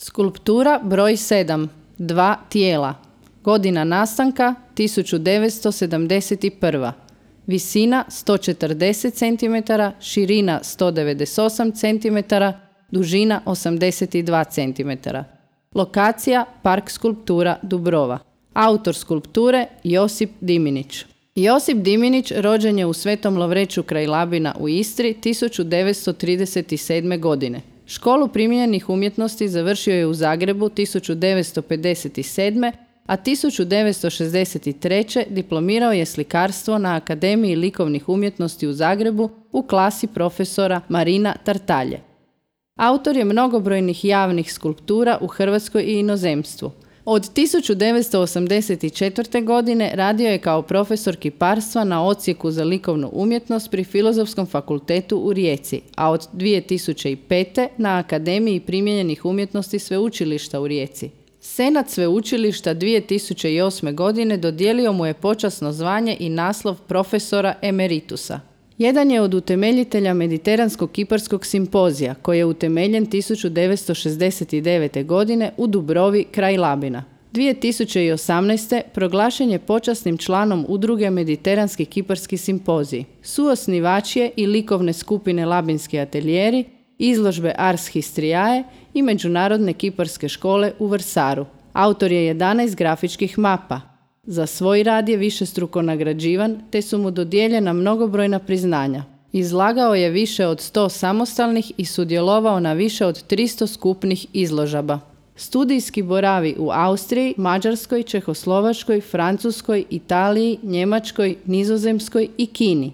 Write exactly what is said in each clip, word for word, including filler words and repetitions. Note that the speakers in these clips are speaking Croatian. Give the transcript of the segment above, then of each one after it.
Skulptura broj sedam. Dva tijela. Godina nastanka tisuću devetsto sedamdeset prva. Visina sto četrdeset centimetara, širina sto devedeset osam centimetara, dužina osamdeset dva centimetara. Lokacija Park skulptura Dubrova. Autor skulpture Josip Diminić. Josip Diminić rođen je u Svetom Lovreću kraj Labina u Istri tisuću devetsto trideset sedme. godine. Školu primijenjenih umjetnosti završio je u Zagrebu tisuću devetsto pedeset sedme. a tisuću devetsto šezdeset treće. diplomirao je slikarstvo na Akademiji likovnih umjetnosti u Zagrebu u klasi profesora Marina Tartalje. Autor je mnogobrojnih javnih skulptura u Hrvatskoj i inozemstvu. Od tisuću devetsto osamdeset četvrte. godine radio je kao profesor kiparstva na Odsjeku za likovnu umjetnost pri Filozofskom fakultetu u Rijeci, a od dvije tisuće pete. na Akademiji primijenjenih umjetnosti Sveučilišta u Rijeci. Senat Sveučilišta dvije tisuće osme. godine dodijelio mu je počasno zvanje i naslov profesora emeritusa. Jedan je od utemeljitelja Mediteranskog kiparskog simpozija, koji je utemeljen tisuću devetsto šezdeset devete. godine u Dubrovi kraj Labina. dvije tisuće osamnaeste. proglašen je počasnim članom udruge Mediteranski kiparski simpozij. Suosnivač je i likovne skupine Labinski atelijeri, izložbe Ars Histriae i Međunarodne kiparske škole u Vrsaru. Autor je jedanaest grafičkih mapa. Za svoj rad je višestruko nagrađivan, te su mu dodijeljena mnogobrojna priznanja. Izlagao je više od sto samostalnih i sudjelovao na više od tristo skupnih izložaba. Studijski boravi u Austriji, Mađarskoj, Čehoslovačkoj, Francuskoj, Italiji, Njemačkoj, Nizozemskoj i Kini.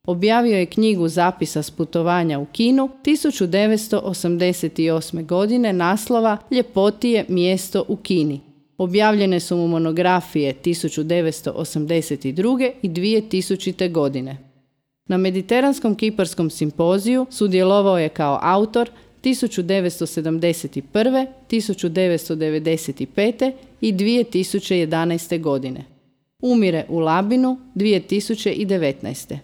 Objavio je knjigu zapisa s putovanja u Kinu tisuću devetsto osamdeset osme. godine naslova Ljepotije mjesto u Kini. Objavljene su mu monografije tisuću devetsto osamdeset druge. i dvije tisućite. godine. Na Mediteranskom kiparskom simpoziju sudjelovao je kao autor tisuću devetsto sedamdeset prve. tisuću devetsto devedeset pete. i dvije tisuće jedanaeste. godine. Umire u Labinu dvije tisuće devetnaeste.